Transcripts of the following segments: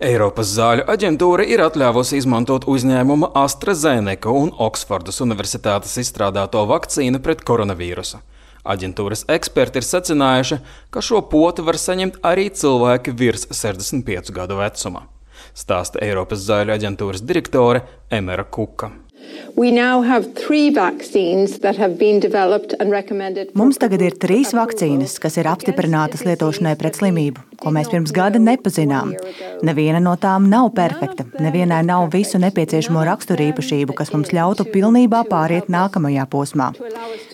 Eiropas zāļu aģentūra ir atļāvusi izmantot uzņēmuma AstraZeneca un Oksfordas universitātes izstrādāto vakcīnu pret koronavīrusu. Aģentūras eksperti ir secinājuši, ka šo poti var saņemt arī cilvēki virs 65 gadu vecuma. Stāsta Eiropas zāļu aģentūras direktore Emera Kuka. Mums tagad ir 3 vakcīnas, kas ir apstiprinātas lietošanai pret slimību, ko mēs pirms gada nepazinām. Neviena no tām nav perfekta, nevienai nav visu nepieciešamo raksturīpašību, kas mums ļautu pilnībā pāriet nākamajā posmā.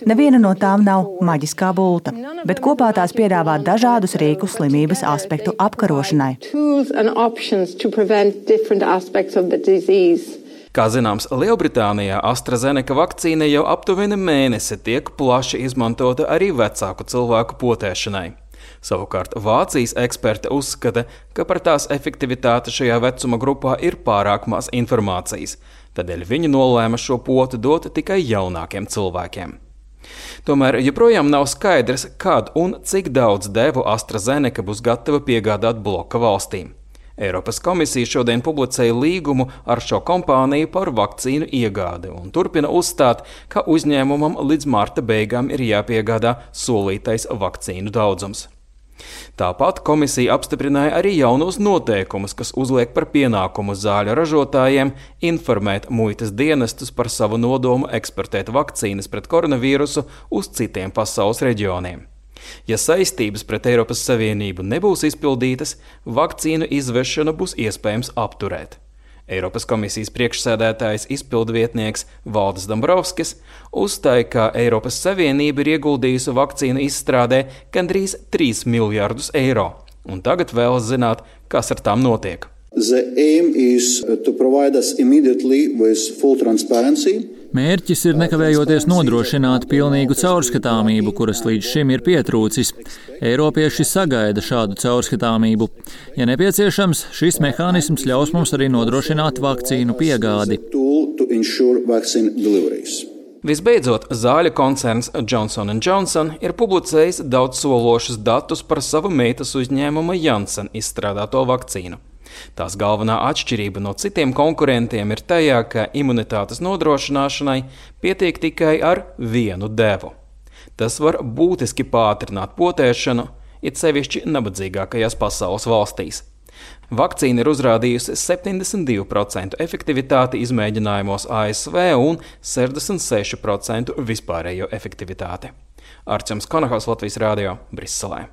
Neviena no tām nav maģiskā bulta, bet kopā tās piedāvā dažādus rīkus slimības aspektu apkarošanai. Kā zināms, Lielbritānijā AstraZeneca vakcīna jau aptuveni mēnesi tiek plaši izmantota arī vecāku cilvēku potēšanai. Savukārt Vācijas eksperti uzskata, ka par tās efektivitāti šajā vecuma grupā ir pārāk maz informācijas, tādēļ viņi nolēma šo potu dot tikai jaunākiem cilvēkiem. Tomēr joprojām nav skaidrs, kad un cik daudz devu AstraZeneca būs gatava piegādāt bloka valstīm. Eiropas komisija šodien publicēja līgumu ar šo kompāniju par vakcīnu iegādi un turpina uzstāt, ka uzņēmumam līdz marta beigām ir jāpiegādā solītais vakcīnu daudzums. Tāpat komisija apstiprināja arī jaunos noteikumus, kas uzliek par pienākumu zāļu ražotājiem informēt muitas dienestus par savu nodomu eksportēt vakcīnas pret koronavīrusu uz citiem pasaules reģioniem. Ja saistības pret Eiropas Savienību nebūs izpildītas, vakcīnu izvešanu būs iespējams apturēt. Eiropas komisijas priekšsēdētājs izpildvietnieks Valdis Dombrovskis uzstāja, ka Eiropas Savienība ir ieguldījusi vakcīnu izstrādē gandrīz 3 miljardus eiro, un tagad vēlas zināt, kas ar tām notiek. Mērķis ir nekavējoties nodrošināt pilnīgu caurskatāmību, kuras līdz šim ir pietrūcis. Eiropieši sagaida šādu caurskatāmību. Ja nepieciešams, šis mehānisms ļaus mums arī nodrošināt vakcīnu piegādi. Visbeidzot, zāļu koncerns Johnson & Johnson ir publicējis daudzsološus datus par savu meitas uzņēmuma Janssen izstrādāto vakcīnu. Tās galvenā atšķirība no citiem konkurentiem ir tajā, ka imunitātes nodrošināšanai pietiek tikai ar vienu devu. Tas var būtiski pātrināt potēšanu, it sevišķi nabadzīgākajās pasaules valstīs. Vakcīna ir uzrādījusi 72% efektivitāti izmēģinājumos ASV un 66% vispārējo efektivitāti. Arčuns Konahaus, Latvijas Rādio, Briselē.